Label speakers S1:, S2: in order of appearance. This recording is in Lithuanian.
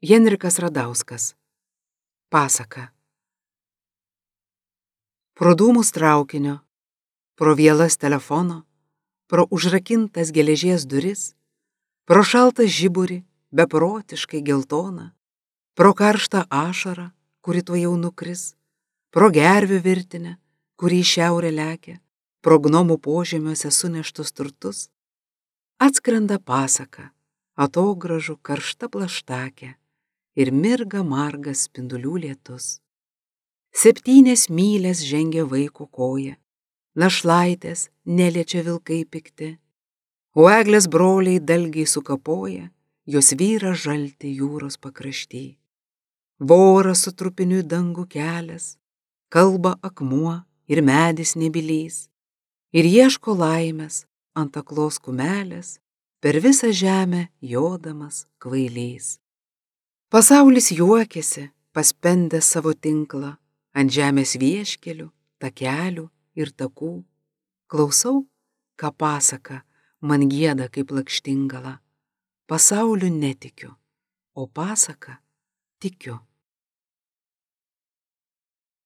S1: Henrikas Radauskas. Pasaka. Pro dūmus traukinio, pro vielas telefono, pro užrakintas geležies duris, pro šaltą žiburį, beprotiškai geltoną, pro karštą ašarą, kuri tuojau nukris, pro gervių virtinę, kuri į šiaurę lekia, pro gnomų požemiuose suneštus turtus, atskrenda pasaka, atogražų karšta plaštakė ir mirga margas spindulių lietus. 7 mylias žengia vaiko koja, našlaitės neliečia vilkai pikti, o eglės broliai dalgiai sukapoja, jos vyra žalti jūros pakrašty. Voras su trupiniu į dangų kelias, kalba akmuo ir medis nebylys, ir ieško laimės ant aklos kumelės, per visą žemę jodamas kvailys. Pasaulis juokiasi, paspendęs savo tinklą, ant žemės vieškelių, takelių ir takų. Klausau, ką pasaka man gieda kaip lakštingala. Pasauliu netikiu, o pasaka tikiu.